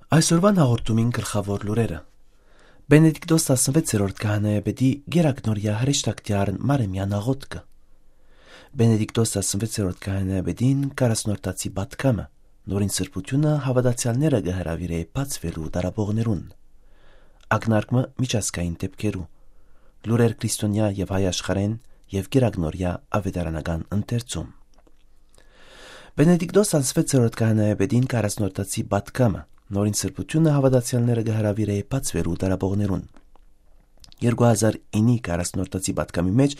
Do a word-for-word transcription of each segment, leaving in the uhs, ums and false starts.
Այսօրվան հաղորդումին գլխաւոր լուրերը։ Բենեդիկտոս տասնվեցերորդ քահանայապետի գերագնորյա հրեշտակտի արն Մարեմեան աղօթքը։ Բենեդիկտոս տասնվեցերորդ քահանայապետին կարասնորդացի պատգամը, նորին սրբութիւնը հաւատացեալները կը հրաւիրէ բացուելու տարապողներուն։ Ակնարկը միջազգային դէպքերու։ Լուրեր քրիստոնեայ եւ հայ աշխարհէն եւ գերագնորյա աւետարանական ընթերցում։ Բենեդիկտոս տասնվեցերորդ քահանայապետին կարասնորդացի պատգամը, նորին սրբութիւնը հաւատացեալները կը հրաւիրէ բացուելու տարապողներուն։ Երկու հազար իննի կարասնորդացի պատգամի մէջ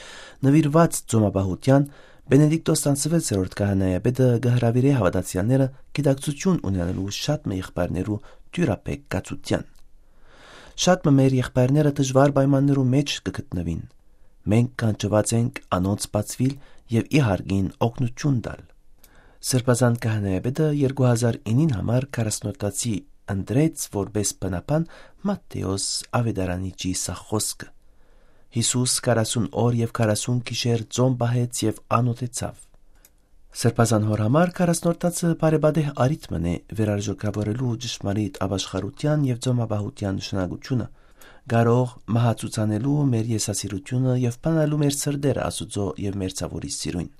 նուիրուած ծոմապահութեան, Բենեդիկտոս տասնվեցերորդ քահանայապետը կը հրաւիրէ հաւատացեալները գիտակցութիւն ունենալու շատ մը եղբայրներու դիւրաբեկ կացութեան։ Շատ մը մեր եղբայրները դժուար պայմաններու մէջ կը գտնուին։ Մենք կանչուած ենք անոնց բացուիլ եւ ի հարկին օգնութիւն տալ։ Սրբազան քահանայապետը երկու հազար իննին համար կարասնորդացի ընտրեց որպէս բնաբան Մատթէոս աւետարանիչի սա խօսքը. «Յիսուս քառասուն օր եւ քառասուն գիշեր ծոմ պահեց եւ անօթեցաւ»։ Սրբազան հօր համար կարասնորդացը բարեպատեհ առիթ մըն է վերարժեքաւորելու ճշմարիտ ապաշխարութեան եւ ծոմապահութեան նշանակութիւնը, կարող մահացուցանելու մեր եսասիրութիւնը եւ բանալու մեր սրտերը Աստուծոյ եւ մեր ցաւորի սիրոյն։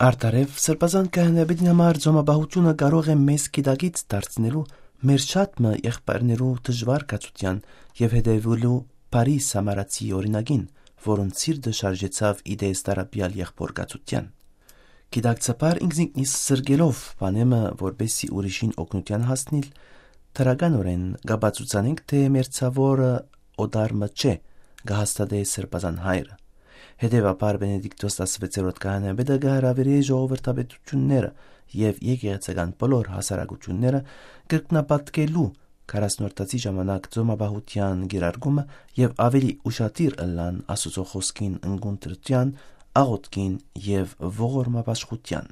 Արդարեւ, սրբազան քահանայապետին համար ծոմապահութիւնը կարող է մեզ գիտակից դարձնելու մեր շատ մը եղբայրներու դժուար կացութեան եւ հետեւելու բարի սամարացի օրինակին, որուն սիրտը շարժեցաւ ի տես տարապեալ եղբոր կացութեան։ Գիտակցաբար ինքզինքնիս զրկելով բանեմը, որպեսզի ուրիշին օգնութեան հասնիլ, դրականօրէն կ'ապացուցանենք, թէ մեր ցաւորը օտար մը չէ, կը հաստատէ Սրբազան Հայրը։ Հետեւաբար Բենեդիկտոս տասնվեցերորդ քահանայապետը կը հրաւիրէ ժողովրդապետութիւնները եւ եկեղեցական բոլոր հասարակութիւնները կրկնապատկելու քառասնորդացի ժամանակ ծոմապահութեան կիրարկումը եւ աւելի ուշադիր ըլլան Աստուծոյ խօսքին ընկունտրութեան, աղօթքին եւ ողորմապաշխութեան։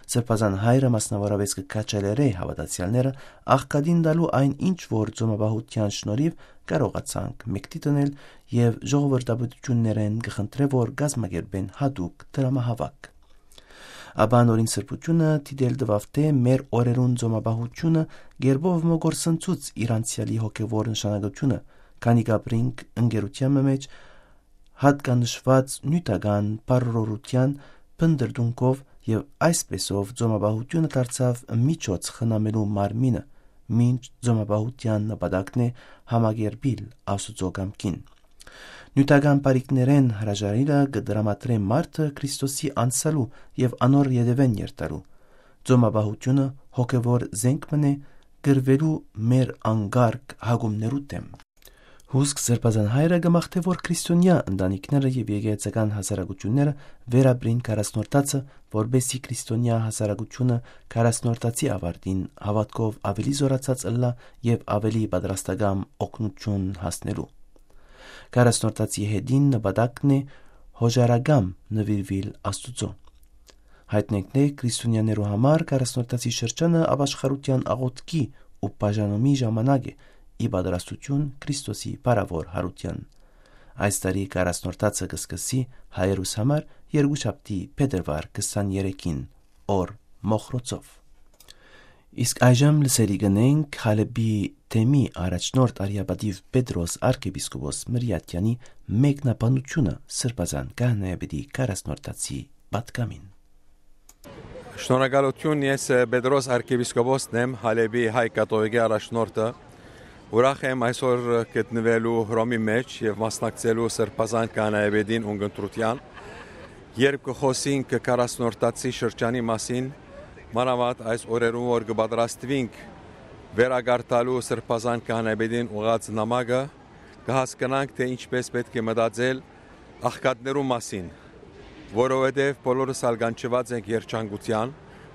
Սրբազան Հայրը մասնաւորապէս կը քաջալերէ հաւատացեալները աղքատին տալու այն ինչ որ ծոմապահութեան շնորհիւ կարողացանք մէկդի դնել եւ ժողովրդապետութիւններէն կը խնդրէ որ կազմակերպեն յատուկ դրամահաւաք։ Ապա նորին սրբութիւնը դիտել տուաւ թէ մեր օրերուն ծոմապահութիւնը գերբով մը կորսնցուց իր անցեալի հոգեվոր նշանակութիւնը, քանի կ'ապրինք ընկերութեան մը մէջ, յատկանշուած նիւթական բարօրութեան փնտռդունքով եւ այսպէսով ծոմապահութիւնը դարձաւ միջոց խնամելու մարմինը, մինչ ծոմապահութեան նպատակն է համակերպիլ Աստուծոյ կամքին։ Նիւթական բարիքներէն հրաժարիլը կը տրամադրէ մարդը Քրիստոսի անսալու եւ անոր ետեւէն երթալու։ Ծոմապահութիւնը հոգեվոր զենք մըն է կռուելու մեր անկարգ հակումներու դէմ։ Հուսք Սրբազան Հայրը կը մաղթէ որ քրիստոնեայ ընտանիքները եւ եկեղեցական հասարակութիւնները վերապրին քառասնորդացը, որպեսզի քրիստոնեայ հասարակութիւնը քառասնորդացի աւարտին հաւատքով աւելի զօրացած ըլլայ եւ աւելի պատրաստակամ օգնութիւն հասնելու։ Քառասնորդացի հետին նպատակն է հոժարակամ նուիրուիլ Աստուծոյ։ Յայտնենք թէ քրիստոնեաներու համար քառասնորդացի շրջանը ապաշխարութեան աղօթքի ու բաժանումի ժամանակ է, ի պատրաստութիւն Քրիստոսի փառաւոր յարութեան։ Այս տարի քառասնորդացը կը սկսի հայերուս համար երկուշաբթի փետրուար քսաներեքին, օր մոխրոցով։ Իսկ այժմ լսելի կ'ընենք Հալէպի թեմի առաջնորդ արիապատիւ Պետրոս արքեպիսկոպոս Մրիաթեանի մեկնաբանութիւնը Սրբազան քահանայապետի քառասնորդացի պատգամին։ Շնորհակալութիւն, ես Պետրոս արքեպիսկոպոսն եմ, Հալէպի հայ կաթողիկի առաջնորդը։ Ուրախ եմ այսօր գտնուելու Հռոմի մէջ եւ մասնակցելու Սրբազան քահանայապետին ունգընտրութեան, երբ կը խօսինք քառասնորդացի շրջանի մասին, մանաւանդ այս օրերուն որ կը պատրաստուինք վերակարդալու Սրբազան քահանայապետին ուղղած նամակը, կը հասկնանք թէ ինչպէս պէտք է մտածել աղքատներու մասին, որովհետեւ բոլորս ալ կանչուած ենք երջանկութեան,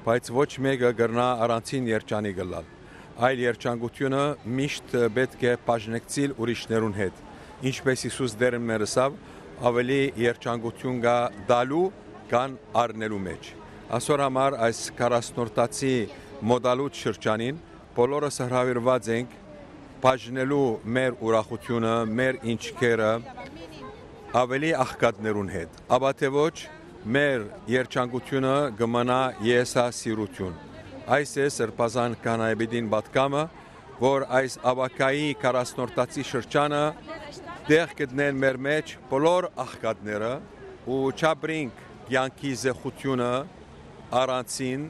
բայց ոչ մէկը կրնայ առանցին երջանիկ ըլլալ։ Այլ երջանկութիւնը միշտ պէտք է բաժնեկցիլ ուրիշներուն հետ, ինչպէս Յիսուս Տէրն մեր ըսաւ, աւելի երջանկութիւն կայ տալու քան առնելու մէջ։ Այսօր համար այս քառասնորդացի մօտալուտ շրջանին բոլորս հրաւիրուած ենք բաժնելու մեր ուրախութիւնը, մեր ինչքերը աւելի աղքատներուն հետ, ապա թէ ոչ, մեր երջանկութիւնը կը մնայ եսասիրութիւն։ Այս է Սրբազան քահանայապետին պատգամը, որ այս ապագայի քառասնորդացի շրջանը տեղ գտնեն մեր մեջ բոլոր աղքատները ու չապրինք կեանքի զեղչութիւնը առանցին,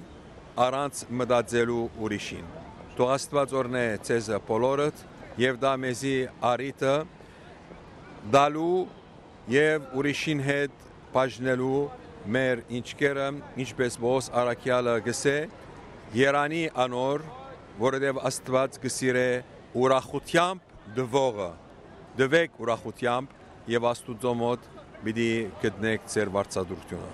առանց մտածելու ուրիշին։ Թող Աստուած օրհնէ ձեզը բոլորդ եւ տայ մեզի առիթը տալու եւ ուրիշին հետ բաժնելու մեր ինչքերը, ինչպէս Պողոս առաքեալը կ'ըսէ. «Երանի անոր, որովհետեւ Աստուած կը սիրէ ուրախութեամբ տուողը։ Տուէք ուրախութեամբ եւ Աստուծոյ մօտ պիտի գտնէք ձեր վարձատրութիւնը»։